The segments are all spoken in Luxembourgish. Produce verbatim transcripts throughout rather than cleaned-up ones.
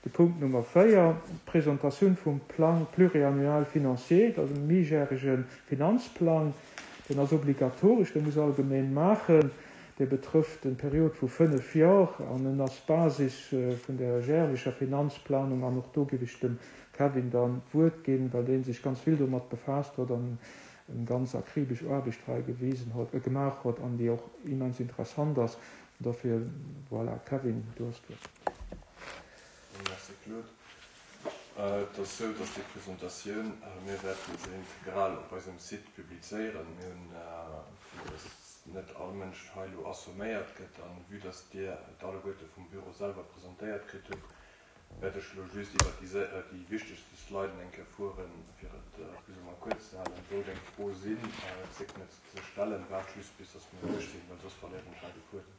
De Punkt Nummer véier, d'Presentatioun vum Plan pluriannuel financier, dat ass e méijärege Finanzplang, deen ass obligatoresch, dee muss all Gemeng maachen, dee betrëfft eng Period vu fënnef Joer an en ass Basis vun der järlecher Finanzplanung. An och do géif ech dem Kevin dann d'Wuert ginn, well dee sech ganz vill domat befaasst huet an eng ganz akribesch Aarbecht hei gewisen huet, gemaach huet an déi och immens interessant ass. Dofir, voilà, Kevin, du hues d'Wuert. Merci Claude. Et ass esou, dass déi Presentatioun, mir wäerten se integral op eisem Site publizéieren. Mir hunn, fir dass net all Mënsch hei elo assomméiert gëtt, an vue dass Dir et alleguerte vum Büro selwer presentéiert kritt hutt, wäert ech elo just iwwert déi déi wichtegste Sliden eng Kéier fueren, fir et plus ou moins kuerz ze halen. Sollt eng Fro sinn, zéckt net se ze stellen, waart just bis dass mir duerch sinn, well soss verléieren ech hei de Fuedem.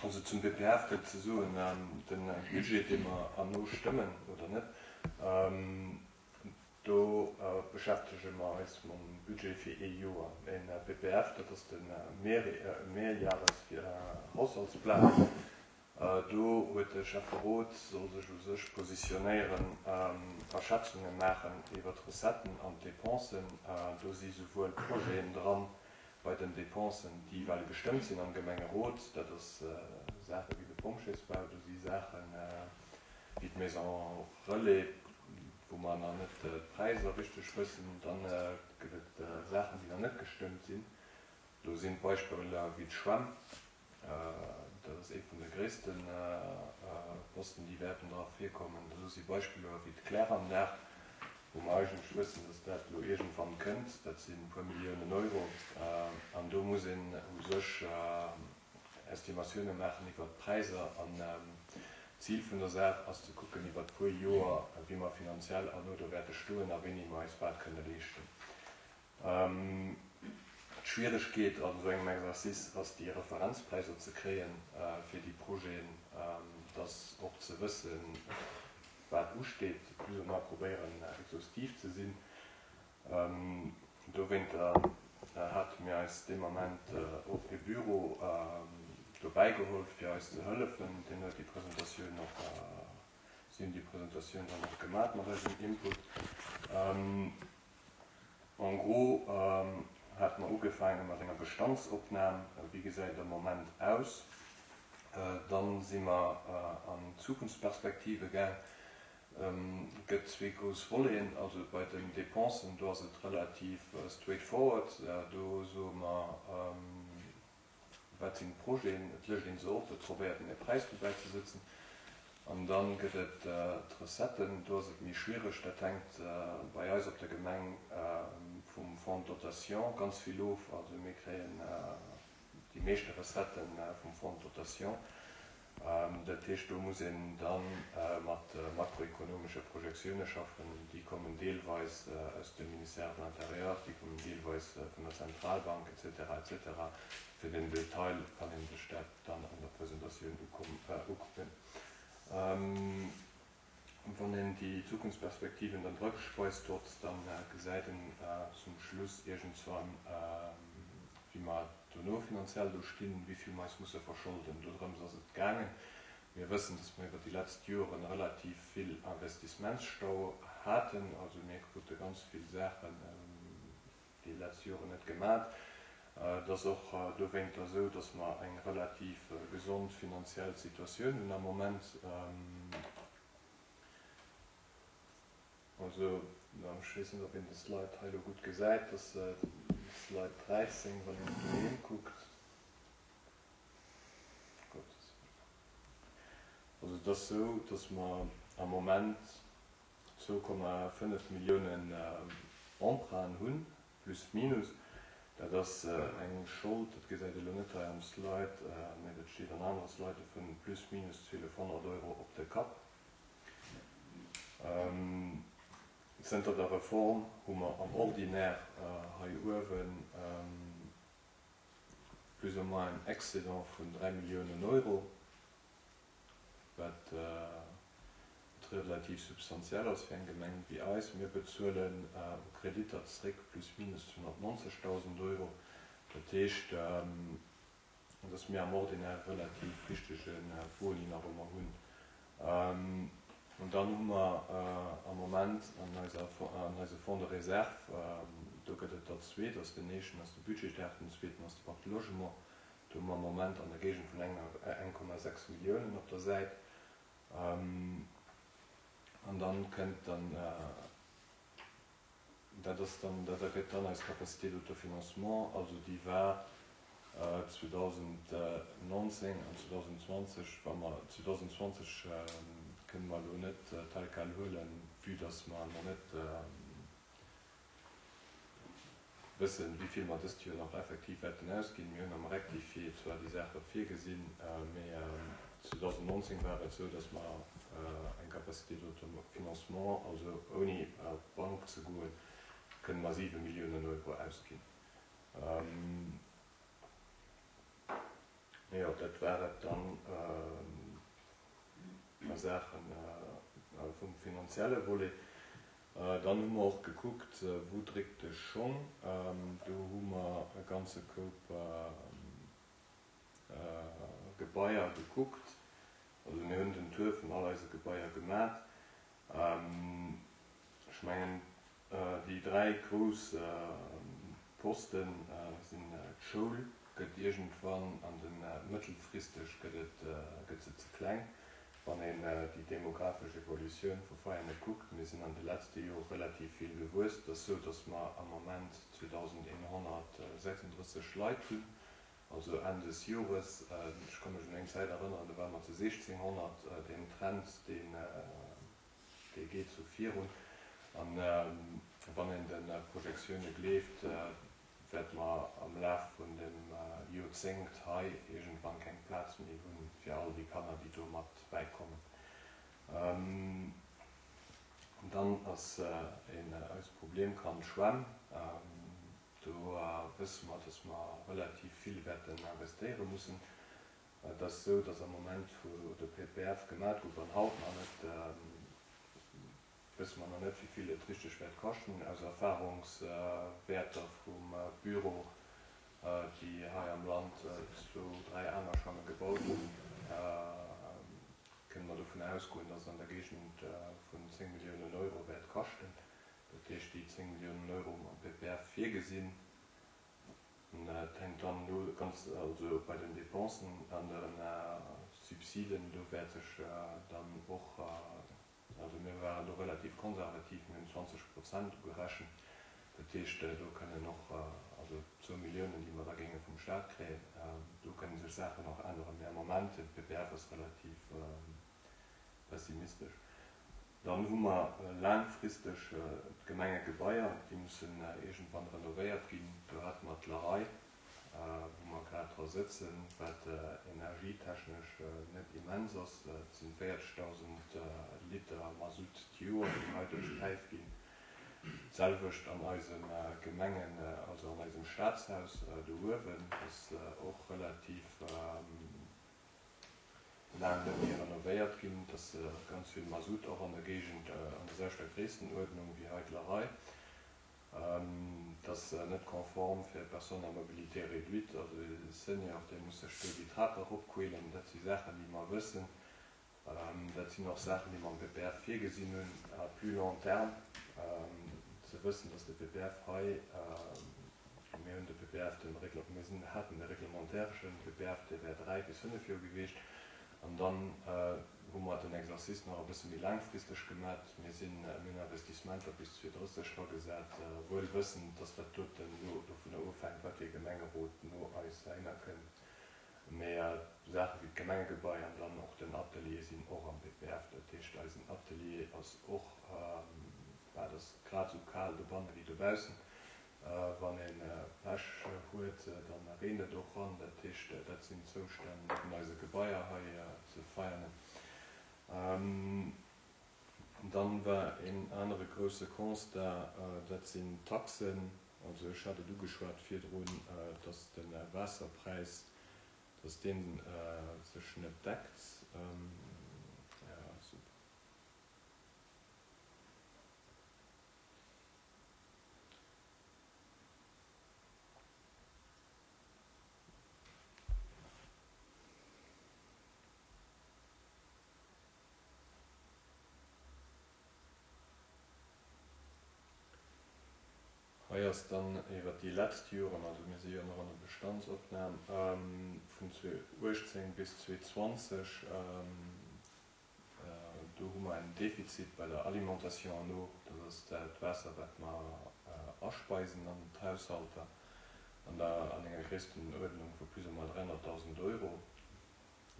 Also zum B P F gëtt ze soen, de Budget, dee mer herno stëmmen oder net, do beschäftege mer eis mam Budget fir ee Joer. E B P F, dat ass de Mehrjahreshaushaltsplan. Do huet de Schäfferot soll sech u sech positionéieren a Schätzunge maachen iwwer d'Recetten an d'Depensen. Do si souwuel Projeten dran bei den Depensen, déi well gestëmmt sinn am Gemengerot, dat ass Saache wéi de Pompjeesbau, do si Saache wéi d'Maison Relais, wou mer nach net d'Präisser richteg wëssen. Dann gëtt et Saachen, déi nach net gestëmmt sinn. Do sinn Beispiller wéi d'Schwämm, dat ass ee vun de gréisste Posten, déi wäerten dra virkommen. Do si Beispiller wéi d'Kläranlag, wou mer eigentlech wëssen, dass dat elo iergendwann kënnt, dat sinn e puer Milliounen Euro, an do muss een u sech Estimatioune maachen iwwert d'Präisser. An d'Zil vun der Saach ass ze kucken iwwert e puer Joer, wéi mer finanziell herno do wäerte stoen a wéini mer eis wat kënne leeschten. D'Schwieregkeet an esou engem Exercice ass déi Referenzpräisser ze kréien fir déi Projeten, dass och ze wëssen, wat usteet, plus ou moins probéieren exhaustiv ze sinn. Dowéinter hate mir eis dee Moment och e Büro dobäi geholl fir eis ze hëllefen. Deen huet déi Presentatioun och, si hunn déi Presentatioun dann och gemat mat eisem Input. En gros hate mer ugefaange mat enger Bestandsopnam, wéi gesäit et am Moment aus. Dann si mer an d'Zukunftsperspektive gaang. Gëtt zwee grouss Voleten. Also bei den Depensen, do ass et relativ straightforward. Do soe mer, wat sinn d'Projeten, et lëscht een se op, et probéiert een e Präis dobäi ze sëtzen. An da gëtt et d'Recetten, do ass et méi schwiereg. Dat hänkt bei eis op der Gemeng vum Fonds de dotation ganz vill of. Also mir kréien déi meeschte Recettë vum Fonds de dotation. Dat heescht, do muss een da mat makroekonomesche Projektioune schaffen. Déi kommen deelweis aus dem Ministère de l'Intérieur, déi kommen deelweis vun der Zentralbank et cetera et cetera. Fir den Detail kann ee sech dat dann an der Presentatioun ukucken. Wann een déi Zukunftsperspektiven dann dragespreizt huet, dann gesäit een zum Schluss iergendswann, wéi mer dono finanziell do stinn, wéi vill mer eis musse verscholden. Dorëms ass et gaangen. Mir wëssen, dass mer iwwer déi lescht Joren relativ vill Investissementsstau haten. Also mir krute ganz vill Saachen déi lescht Joren net gemat. Et ass och dowéinter esou, dass mer eng relativ gesond finanziell Situatioun hunn am Moment. Also ech weess net, ob een de Slide hei elo gutt gesäit, dat ass Slide dräizéng, wann een doheem kuckt. Gottes Wëllen. Also et ass esou, dass mer am Moment zwou Komma fënnef Milliounen Emprunten hunn, plus minus. Dat ass eng Schold, dat gesäit elo net hei am Slide, mee dat steet an anere Slide, vun plus minus zwielefhonnert Euro op de Kapp. Zënter der Reform hu mer am Ordinaire hei uewen plus ou moins en Excédent vun dräi Milliounen Euro, wat relativ substantiell ass fir eng Gemeng wéi eis. Mir bezuelen u Kreditter zréck plus minus zweehonnertnonzegdausend Euro. Dat heescht, Dass mir am Ordinaire relativ richtege Boni nach ëmmer hunn. An dann hu mer am Moment an eiser, an eise Fonds de réserve, do gëtt et der zwee, dat ass den éischten ass de budgétaire, den zweeten ass de Pacte Logement, do hu mer am Moment an der Géigend vun enger eng Komma sechs Milliounen op der Säit. An dann kënnt dann, dat ass dann, dat ergëtt dann eis Capacité d'autofinancement, also déi war zweedausendnonzéng an zweedausendzwanzeg, wa mer zweedausendzwanzeg kënne mer elo net tel quel huelen, vue dass mer nach net wëssen, wéi vill mer dëst Joer nach effektiv wäerten ausginn. Mir hunn am Rectifié zwar déi Saache virgesinn, mee zweedausendnonzéng war et esou, dass mer eng Capacité d'autofinancement, also ouni op d'Bank ze goen, kënne mer siwe Milliounen Euro ausginn. Jo, dat war et dann a Saache vum finanzielle Volet. Dann hu mer och gekuckt, wou dréckt de Schong. Do hu mer e ganze Koup Gebaier gekuckt. Also mir hunn den Tour vun all eise Gebaier gemat. Ech mengen, déi dräi grouss Posten sinn d'Schoul, gëtt iergendwann an de mëttelfristeg gëtt et, gëtt se ze kleng, wann een déi demographesch Evolutioun vu Veianen kuckt. Mir sinn an de letzte Jore relativ vill gewuess. Et ass esou, datt mer am Moment zweedausendeenhonnertsechsunddrësseg Leit hunn, also Enn des Jores. Ech ka mech un eng Zäit erënneren, do ware mer zu sechzehnhonnert. Deen Trend, deen, dee geet sou virun. An wann een de Projektioune gleeft, wäerte mer am Laf vun dem Joerzéngt hei iergendwann keng Plaz méi hunn fir all déi Kanner, déi do mat bäikommen. Dann ass een eist Problemkand d'Schwämm. Do wësse mer, dass mer relativ vill wäerten investéiere mussen. Et ass esou, dass am Moment, wou de P P F gemat gouf an haut nach net, wësse mer nach net, wéi vill et richteg wäert kaschten. Aus Erfahrungswäerter vum Büro, déi hei am Land zwou, dräi aner Schwamme gebaut hunn, kënne mer dovun ausgoen, dass et an der Géigend vun zéng Milliounen Euro wäert kaschten. Dat heescht, déi zéng Milliounen Euro hu mer am P P F virgesinn. Et hänkt dann elo ganz, also bei den Dépensen an den Subsiden, do wäert sech dann och, also mir waren do relativ konservativ, mir hunn zwanzeg Prozent ugerechent. Dat heescht, do kënnen och, also zwou Milliounen, déi mer da géinge vum Staat kréien, do kënnen sech Saachen och änneren. Mee am Moment, de P P F ass relativ pessimistesch. Dann hu mer laangfristeg d'Gemengegebaier, déi mussen iergendwann renovéiert ginn. Do hate mer d'Lerei, wou mer grad dra sëtzen, wat energietechnesch net immens ass. Et sinn véierzegdausend Liter Mazout d'Joer, déi hei duerch d'Päif ginn. D'selwecht an eisem Gemengen, also an eisem Staatshaus do uewen, ass och relativ laang net méi renovéiert ginn. Et ass ganz vill Mazout och an der Géigend, an der selwechter Gréisstenuerdnung wéi hei d'Lerei. Et ass net konform fir Personnes à mobilité réduite, also de Senior, dee muss sech do déi Trap eropquälen. Dat si Saachen, déi mer wëssen. Dat sinn och Saachen, déi mer am P P F virgesinn hunn, à plus long terme. Ze wëssen, dass de P P F hei, mir hunn de P P F, den Regl-, mir sinn, haten de reglementäreschen P P F, dee wär dräi bis fënnef Joer gewiescht. An dann hu mer den Exercice nach e bësse méi laangfristeg gemat. Mir sinn, mir hunn Investissementer bis zweeduesenddrësseg dragesat, wuel wëssend, dass dat doten elo dovunner ofhänkt, wat fir Gemengerot no eis heihinner kënnt. Mee Saache wéi d'Gemengegebai an dann och den Atelier sinn och am P P F. Dat heescht, eisen Atelier ass och, bah, dat ass grad esou kal dobanne wéi dobaussen. Wann een Pech huet, dann reent et och ran. Dat heescht, dat sinn Zoustänn vun eise Gebaier hei ze feiern. Dann war een anere grousse Constat, dat sinn Taxen. Also ech hat et ugeschwat virdrun, dass de Waasserpräis, dass deen sech net deckt. Ja, super. Hei ass dann iwwer déi lescht Joren, also mir si jo nach an der Bestandsopnam, vun zweeauchtzéng bis zweezwanzeg, do hu mer en Defizit bei der Alimentation en eau, dat ass dat Waasser, wat mer aspeisen an d'Haushalter, an der an enger Gréisstenuerdnung vu plus ou moins dräihonnertdausend Euro.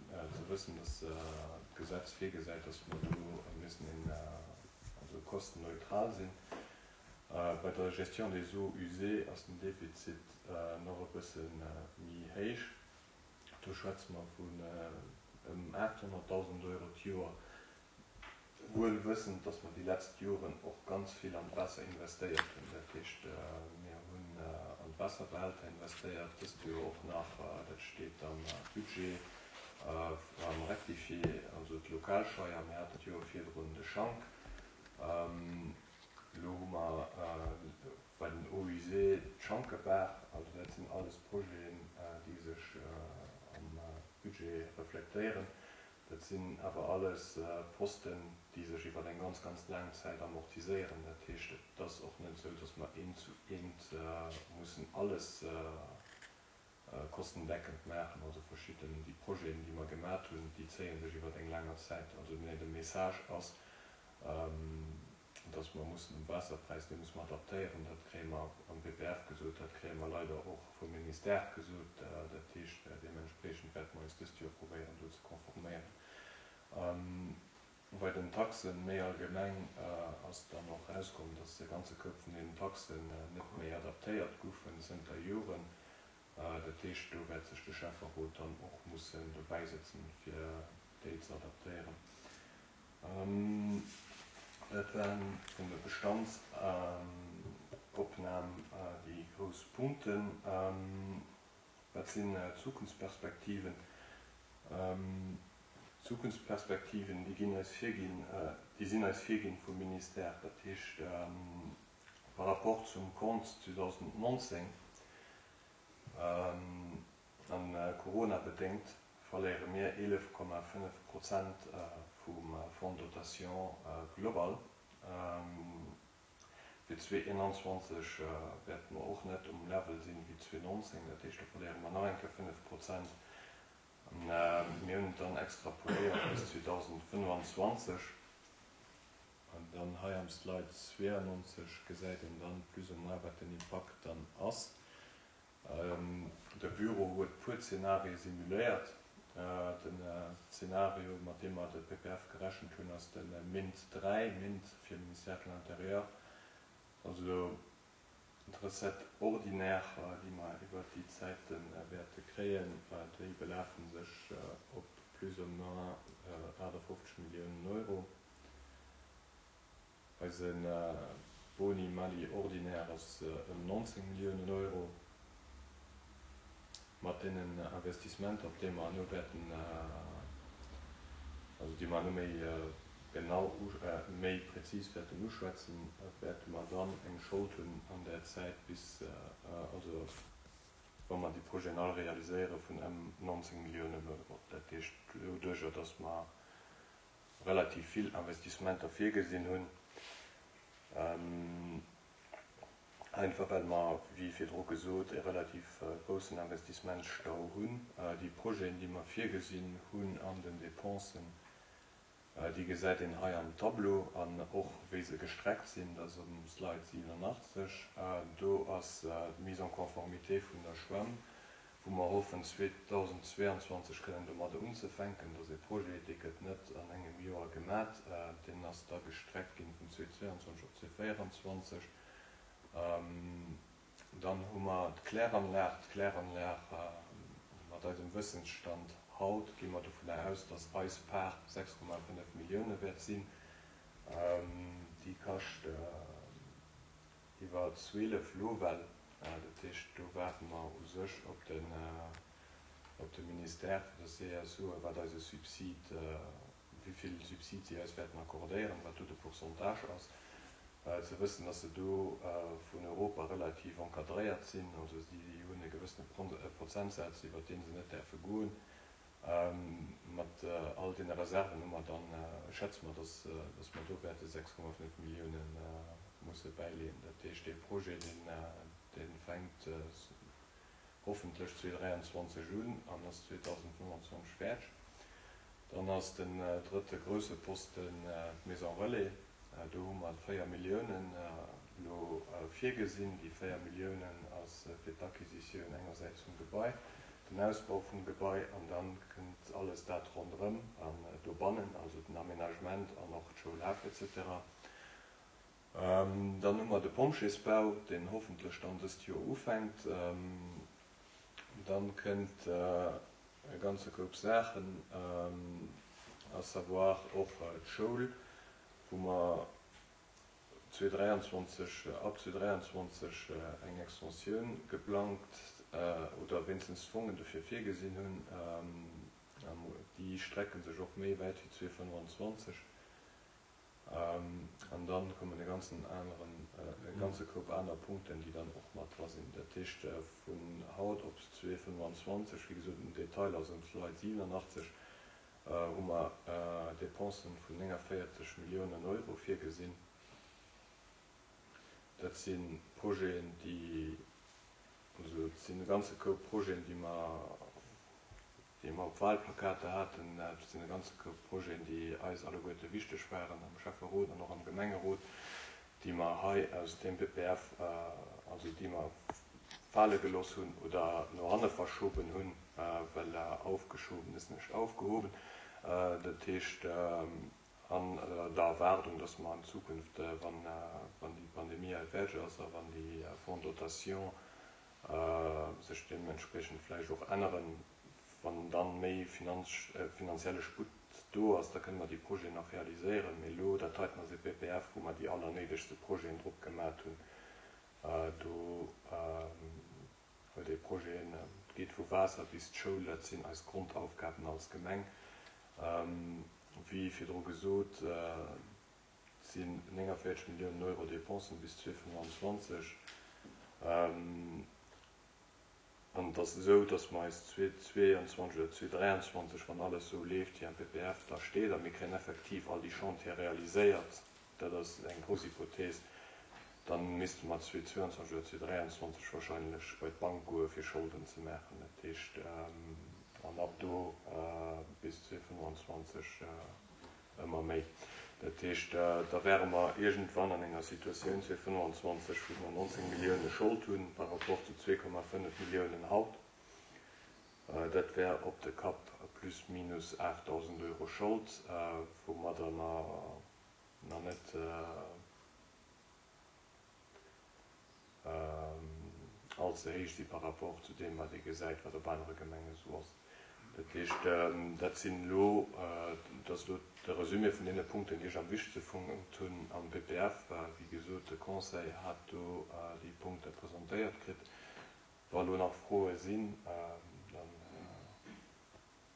Ze wëssen, dass d'Gesetz virgesäit, dass mer do müssen een, also kostenneutral sinn. Bei der Gestion des eaux usées ass den Defizit nach e bësse méi héich. Do schwätze mer vun ëm aathonnertdausend Euro d'Joer, wuel wëssend, dass mer déi lescht Joren och ganz vill an d'Waasser investéiert hunn. Dat heescht, mir hunn an d'Waasserbehälter investéiert, dëst Joer och nach, dat steet am Budget, am Rectifié, also d'Lokalscheier, mir haten d'Joer virdrun de Schank. Elo hu mer bei den Eaux usées d'Schankebaach, also dat sinn alles Projeten, déi sech am Budget reflektéieren. Dat sinn awer alles Posten, déi sech iwwer eng ganz, ganz laang Zäit amortiséieren. Dat heescht, et ass och net esou, dass mer eent zu eent mussen alles kostendeckend maachen. Also verschidden déi Projeten, déi mer gemaach hunn, déi zéie sech iwwer eng länger Zäit. Also nee, de Message ass, dass mer mussen um Waasserpräis, dee muss mer adaptéieren. Dat kréie mer am P P F gesot, dat kréie mer leider och vum Ministère gesot. Dat heescht, deementspriechend wäerte mer eis dëst Joer probéieren, do ze konforméieren. Bei den Taxen méi allgemeng ass dann och rauskomm, dass de ganze Koup vun den Taxen net méi adaptéiert goufen zënter Joren. Dat heescht, do wäert sech de Schäfferot dann och mussen dobäisëtzen, fir déi ze adaptéieren. Dat waren vun der Bestandsopnam déi grouss Punkten. Wat sinn d'Zukunftsperspektiven? D'Zukunftsperspektiven, déi ginn eis virginn, déi sinn eis virginn vum Ministère. Dat heescht, par rapport zum Compte zweedausendnonzéng an Corona bedéngt verléiere mir eelef Komma fënnef Prozent vum Fonds de dotation global. Fir zweeeenanzwanzeg wäerte mer och net um Level sinn wéi zweenonzéng, dat heescht, do verléiere mer nach eng Kéier fënnef Prozent. Mir hunn et dann extrapoléiert bis zweedausendfënnfanzwanzeg. An dann hei am Slide zwéiannonzeg gesäit een dann plus ou moins, wat den Impakt dann ass. De Büro huet puer Zenarie simuléiert. Den Zenario, mat deem mer de P P F gerechent hunn, ass de MINT dräi, MINT fir Ministère de l'Intérieur. Also d'Recette ordinaire, déi mer iwwer déi Zäite wäerte kréien, déi belafe sech op plus ou moins aachtafofzeg Milliounen Euro. Eise Boni Mali ordinaire ass ëm nonzéng Milliounen Euro. Mat deenen Investissementer, op déi mer elo wäerten, also déi mer elo méi genau, méi prezis wäerten uschwätzen, wäerte mer dann eng Schold hunn an der Zäit bis, also wa mer déi Projeten all realiséieren, vun ëm nonzéng Milliounen Euro. Dat heescht doduerjer, dass mer relativ vill Investissementer virgesinn hunn, einfach well mer, wéi virdru gesot, e relativ groussen Investissementsstau hunn. Déi Projeten, déi mer virgesinn hunn an den Dépensen, déi gesäit een hei am Tableau an och wéi se gestreckt sinn, dat ass um Slide siwenanachtzeg. Do ass d'Mise en conformité vun der Schwämm, wou mer hoffen zweedausendzweeanzwanzeg kënnen domadder unzefänken. Dat ass e Projet, dee gëtt net an engem Joer gemat, deen ass da gestreckt ginn vun zweeausendzweianzwanzeg op zweeausendzvéieranzwanzeg. Dann hu mer d'Kläranlag. D'Kläranlag, mat eisem Wëssensstand haut gi mer dovunner aus, dass eis Part sechs Komma fënnef Millioune wäert sinn. Déi kascht iwwer zwielef Lowell. Dat heescht, do waarde mer u sech op den, op de Ministère, fir dass si eis soen, wat eise Subsid, wéi vill Subsid si eis wäerten accordéieren, wat do de Pourcentage ass. Ze wëssen, dass se do vun Europa relativ encadréiert sinn, also si hunn e gewëssene Prozentsaz, iwwer dee se net däerfe goen. Mat all deene Reserven hu mer dann, schätze mer, dass, dass mer do wäerte sechs Komma fënnef Millioune musse bäileeën. Dat heescht, dee Projet, deen, dee fänkt hoffentlech zweetausenddräianzwanzeg un an ass zweetausendfënnefanzwanzeg fäerdeg. Dann ass den drëtte grousse Posten d'Maison Relais. Do hu mer véier Milliounen elo virgesinn. Déi véier Milliounen ass fir d'Acquisitioun engersäits vum Gebai, den Ausbau vum Gebai an dann kënnt alles dat ronderëm an dobannen, also den Aménagement an och d'Schoulhäff et cetera. Dann hu mer de Pompjeesbau, deen hoffentlech dann dëst Joer ufänkt. Dann kënnt e ganze Koup Saachen, à savoir och d'Schoul, wou mer zweetausenddräianzwanzeg, ab zweetausenddräianzwanzeg eng Extensioun geplangt oder wéinstens Fongen dofir virgesinn hunn. Déi strecken sech och méi wäit wéi zweetausenddfënnefanzwanzeg. An dann kommen e ganzen aneren, e ganze Koup aner Punkten, déi dann och mat dra sinn. Dat heescht, vun haut op zweetausenddfënnefanzwanzeg, wéi gesot, den Detail ass um Slide siwenanachtzeg, hu mer Dépensen vun néngavéierzeg Milliounen Euro virgesinn. Dat si Projeten, déi, also et sinn e ganze Koup Projeten, déi mer, déi mer op Wahlplakater haten. Dat sinn e ganze Koup Projeten, déi eis alleguerte wichteg waren am Schäfferot an och am Gemengerot, déi mer hei aus dem P P F, also déi mer fale gelooss hunn oder no hanne verschoben hunn, well aufgeschoben ist nicht aufgehoben. Dat heescht, an der Erwaardung, dass mer an Zukunft, wann, wann déi Pandemie hei fäerdeg ass a wann déi Fonds dotation sech deementspriechend vläicht och änneren, wann dann méi finanz-, finanzielle Sputt do ass, da kënne mer déi Projeten nach realiséieren. Mee elo, dat heiten ass e P P F, wou mer déi allernéidegste Projeten drop gemat hunn. Do huet ee Projeten, et geet vu Waasser bis d'Schoul, dat sinn eis Grondaufgaben als Gemeng. Wéi virdru gesot, sinn néngavéierzeg Milliounen Euro Dépensen bis zweetausenddfënnefanzwanzeg. An et ass esou, datt mer eis zweetausendzweianzwanzeg oder zweetausenddräianzwanzeg, wann alles esou leeft, wéi am P P F da steet, a mir kréien effektiv all déi Chantiere realiséiert, dat ass eng grouss Hypothese, dann misste mer zweetausendzweianzwanzeg oder zweetausenddräianzwanzeg wahrscheinlech bei d'Bank goe fir Scholden ze maachen. Dat heescht, an ab do bis zweetausenddfënnefanzwanzeg ëmmer méi. Dat heescht, da wäre mer iergendwann an enger Situatioun zweetausenddfënnefanzwanzeg, wou mer neunzehn Milliounen Schold hunn par rapport zu zwee Komma fënnef Milliounen haut. Dat wär op de Kapp plus minus achttausend Euro Schold, woumadder mer nach net allze héich si par rapport zu deem, wat ee gesäit, wat op anere Gemenge sou ass. Dat heescht, dat sinn elo, dat ass elo de Resumé vun deene Punkten, déi ech am wichtigste fonnt hunn am P P F. Wéi gesot, de Conseil hat do déi Punkte presentéiert kritt. Wa elo nach Froe sinn, dann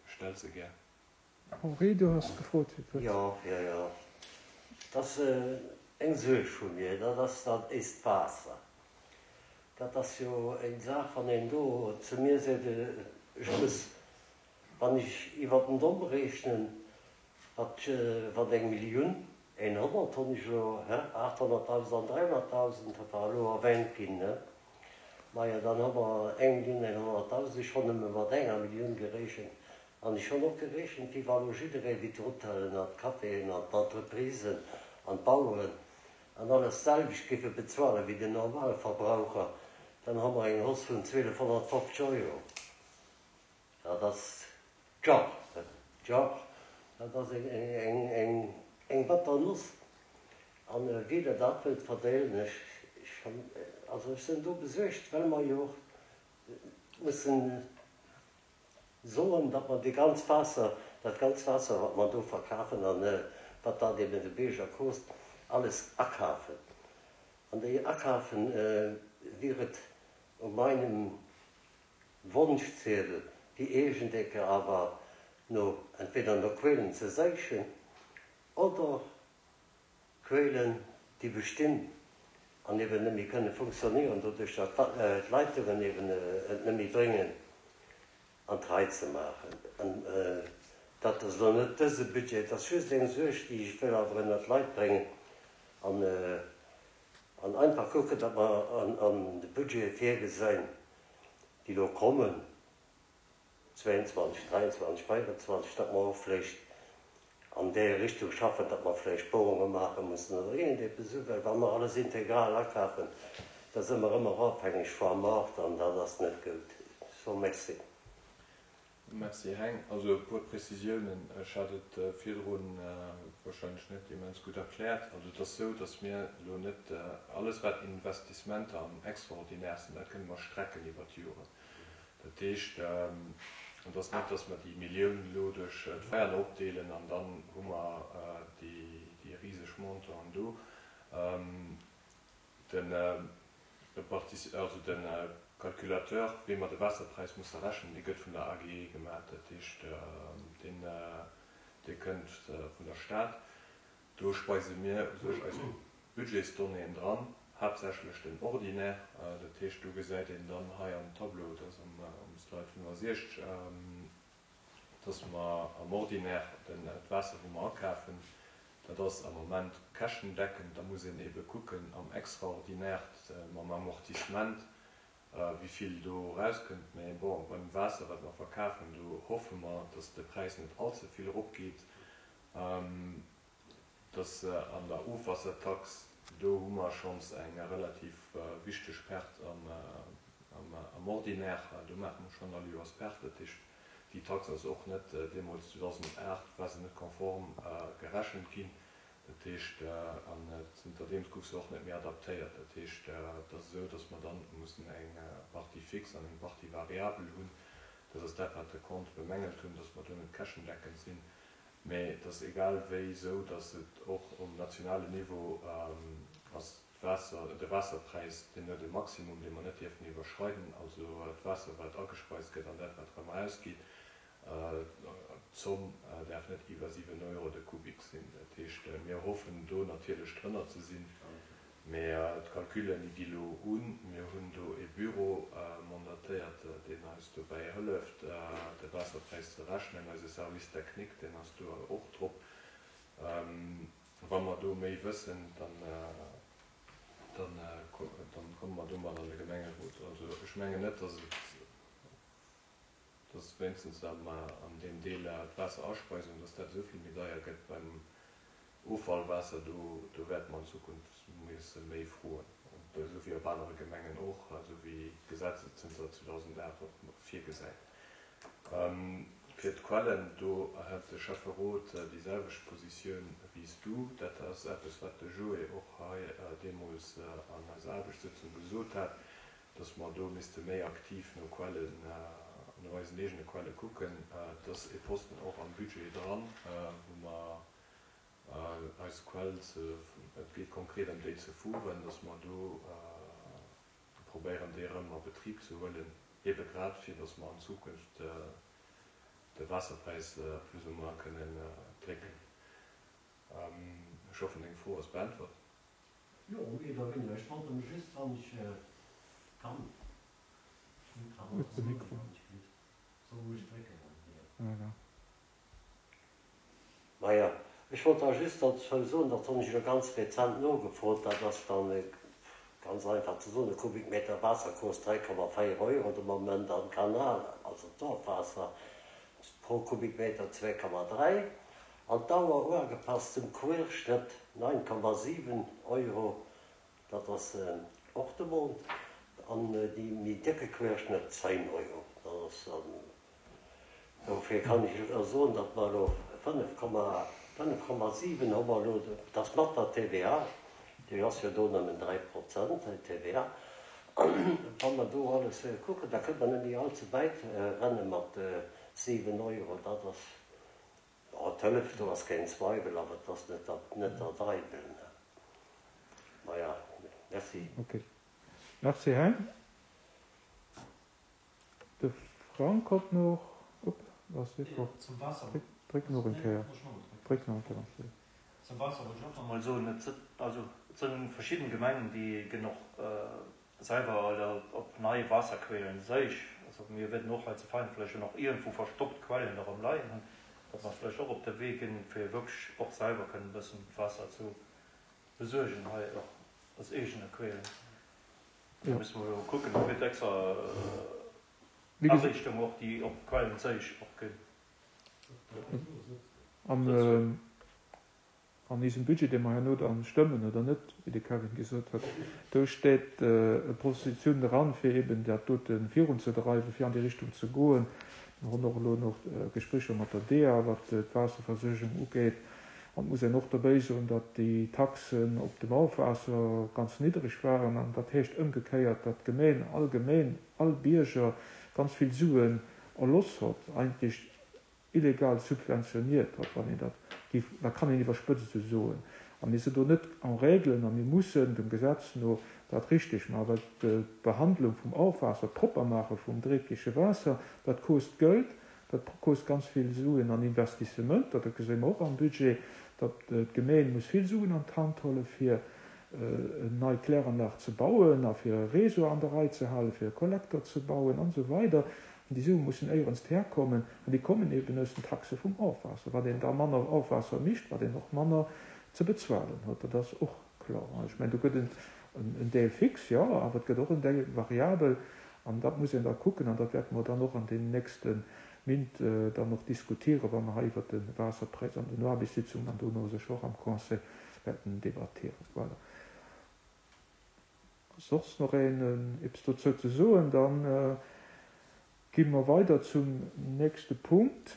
stellt se gär. Henri, du hast gefrot fir d'Wuert. Jo, jo, jo. Dat ass eng Suerg vu mir, dat ass dat éist Waasser. Dat ass jo eng Saach, wann een do zu mir seet, ech muss, wann ech iwwer den Domm rechnen, wat, wat eng Millioun, honnert hunn ech elo, hä? achthonnerttausend an dräihonnerttausend, dat war elo erwähnt ginn, ne? Maja, dann hu mer eng Millioun, honnerttausend, ech hunn nëmme mat enger Millioun gerechent. An ech hunn och gerechent, wéi wa lo jidderee, wéi d'Hotellen an d'Caféen an d'Entreprisen an d'Baueren an alles selwecht géife bezuelen wéi den Normalverbraucher, dann hu mer eng Hausse vun zwielefhonnertfofzeg Euro. Dat ass tja, tja, dat ass eng, eng, eng, eng batter Nuss. An wéi der dat wëllt verdeelen, ech, ech, also ech sinn do besuergt, well mer jo och mussen soen, datt mer déi ganz Waasser, dat ganz Waasser, wat mer do verkafen an wat dat eben de Bierger kost, alles akafen. An déi akafen wier et u meinem Wonschziedel, déi Eegendecke awer no, entweder no Quellen ze séichen oder Quellen, déi bestinn an eben net méi kënne funktionieren, doduerch datt d'Leitungen eben et net méi bréngen, an d'Rei ze maachen. An dat ass elo net dëse Budget, dat ass just eng Suerg, déi ech wëll awer ënner d'Leit bréngen. An An einfach kucken, datt mer an, an de Budgete virgesinn, déi elo kommen, zwéianzwanzeg, dräianzwanzeg, véieranzwanzeg, datt mer och vläicht an där Richtung schaffen, datt mer vläicht Bohrunge maache mussen oder iergendeppes esou, well wa mer alles integral akafen, da si mer ëmmer ofhängeg vum Maart an dat ass net gutt. So, merci. Merci Heng. Also e puer Prezisiounen, ech hat et virdrun wahrscheinlech net immens gutt erkläert. Also et ass esou, datt mir elo net alles wat Investissementer am Extraordinaire sinn, dat kënne mer strecken iwwer d'Joren. Dat heescht, et ass net, datt mer déi Millioun elo duerch d'Véier opdeelen an dann hu mer déi riseg Montanten do. Den also de Calculateur, wéi mer de Waasserpräis musse rechnen, dee gëtt vun der A G E gemaach. Dat heescht, deen, dee kënnt vun der Stad. Do speise mir u sech eis Budgetsdonnéeën dran, haaptsächlech den Ordinaire. Dat heescht, do gesäit een dann hei am Tableau, dat ass am, um Slide fënnefasechzeg, dass mer am Ordinaire den, d'Waasser, wou mer akafen, dat ass am Moment käschtendeckend. Da muss een ebe kucken am Extraordinaire mam Amortissement, wéi vill do rauskënnt. Mee bon, beim Waasser, wat mer verkafen, do hoffe mer, dass de Präis net allze vill eropgeet. Dass an der Ofwassertax, do hu mer schonns eng relativ wichteg Perte am, am, am Ordinaire. Do maache mer schonn all Joers Perte. Dat heescht, déi Tax ass och net deemools zweedausendacht war se net konform gerechent ginn. Dat heescht, an zënterdeems gouf se och net méi adaptéiert. Dat heescht, et ass esou, dass mer dann mussen eng Partie fix an eng Partie variabel hunn. Dat ass dat, wat de Compte bemängelt hunn, dass mer do net käschtendeckend sinn. Mee et ass egal wéi esou, dass et och um nationalen Niveau ass d'Waasser, de Waasserpräis, deen huet e Maximum, dee mer net dierfen iwwerschreiden. Also d'Waasser, wat agespeist gëtt an dat, wat erëm erausgeet, d'Zomm däerf net iwwer siwen Euro de Kubik sinn. Dat heescht, mir hoffen do natierlech drënner ze sinn, mee d'Calculen, déi gi lo un. Mir hunn do e Büro mandatéiert, deen eis dobäi hëlleft, de Waasserpräis ze rechnen. Eise Service technique, deen ass do och drop. Wa mer do méi wëssen, dann, dann, dann komme mer domat an de Gemengerot. Also ech mengen net, dass et, dass wéinstens am, an deem Deel d'Waasserarspeisung, dass dat esou vill méi deier gëtt beim Offallwaasser, do, do wäerte mer an Zukunft musse méi froen. Esou wéi op anere Gemengen och, esou wéi d'Gesetz et zënter zweedausendacht och virgesäit. Fir d'Quellen, do hätt de Schäfferot déi selwecht Positioun wéi s du. Dat ass eppes, wat de Joé och hei deemools an eiser Aarbechtssëtzung gesot hat, dass mer do misste méi aktiv no Quellen, no eisen eegene Quelle kucken. Et ass e Posten och am Budget dran, wou mer eis Quell ze, et geet konkret ëm déi ze fueren, dass mer do probéieren, déi erëm a Betrib ze huelen, ebe grad fir, dass mer an Zukunft de Waasserpräis plus ou moins kënnen drécken. Ech hoffen, deng Fro ass beäntwert. Jo, méi oder wéineger. Ech wollt nëmme just, wann ech kann, Hues de Mikro? Soll ech drécken? Voilà. Maja, ech wollt da just dozou soen, dat hunn ech elo ganz rezent nogefrot, dat ass dann ganz einfach ze soen, e Kubikmeter Waasser kost dräi Komma véier Euro de Moment am Kanal, also d'Ofwaasser pro Kubikmeter zwee Komma dräi, an d'Auer uagepasst zum Querschnëtt neun Komma siwen Euro, dat ass och de Mount, an déi méi décke Querschnëtt zéin Euro. Dat ass dann, dofir kann ech elo soen, datt mer elo fënnef Komma, fënnef Komma siwen hu mer elo, dat ass mat der T V A, déi ass jo do nëmmen dräi Prozent, déi T V A. Wa mer do alles kucken, da kënnt mer net méi allze wäit renne mat siwen Euro. Dat ass, oh, d'Hëllef, do ass keen Zweiwel, awer et ass net der, net der Deiwel, ne? Maja, merci. Ok. Merci Heng. De Frank kommt noch. Upp, was ist Jo, zum Waasser. Dréck, dréck nach eng Kéier. Nee, muss ech nach Dréck nach eng Kéier. Zum Waasser wollt ech och nach mol soen, et sënn, also, et sënn verschidden Gemengen, déi genuch selwer oder op nei Waasserquellen séich. Also mir wäerten och hei zu Vein vläicht jo nach iergendwou verstoppt Quellen nach am Leien hunn, datt mer vläicht och op de Wee ginn, fir wierklech och selwer kënnen e bëssen Waasser zu besuergen hei och. Aus eegene Quellen. Da musse mer jo kucken, do gëtt extra Ariichtung och, déi op Quellenzéich och ginn. An an eisem Budget, dee mer herno dann stëmmen oder net, wéi de Kevin gesot huet, do steet e Positioun dran, fir eben dat dote virunzedreiwen, fir an déi Richtung ze goen. Mer hunn och elo nach Gesprécher mat der DEA, wat d'Waasserversuergung ugeet. An et muss een och dobäi soen, datt déi Taxen op dem Ofwaasser ganz niddreg waren. An dat heescht ëmgekéiert, datt d'Gemeen allgemeen, all Bierger ganz vill Suen erloss hott, eigentlech illegal subventioniert hott, wann een dat géif, dat kann een iwwerspëtzt esou soen. A mir sinn do net en règle a mir mussen dem Gesetz no dat richteg maachen, well d'Behandlung vum Ofwaasser, d'Proppermaache vum dreckege Waasser, dat kost Geld, dat kost ganz vill Suen an Investissementer, dat gesi mer och am Budget, datt d'Gemeen muss vill Suen an d'Hand huelen, fir en nei Kläranlag ze bauen a fir e Réseau an der Rei ze halen, fir e Kollektor ze bauen an esou weider. An déi Sue mussen éierens herkommen an déi kommen eben aus den Taxe vum Ofwaasser. Wat een da manner Ofwaasser mécht, wat een och manner ze bezuelen huet, dat ass och kloer. Ech mengen, do gëtt et en Deel fix, jo, awer et gëtt och en Deel variabel an dat muss een da kucken an dat wäerte mer dann och an deenen nächste Mint dann och diskutieren, wa mer hei iwwert de Waasserpräis an den Aarbechtssitzungen an dono sécher och am Conseil wäerten debattieren. Voilà. Ass soss nach een eppes dozou ze soen? Da gi mer weider zum nächste Punkt.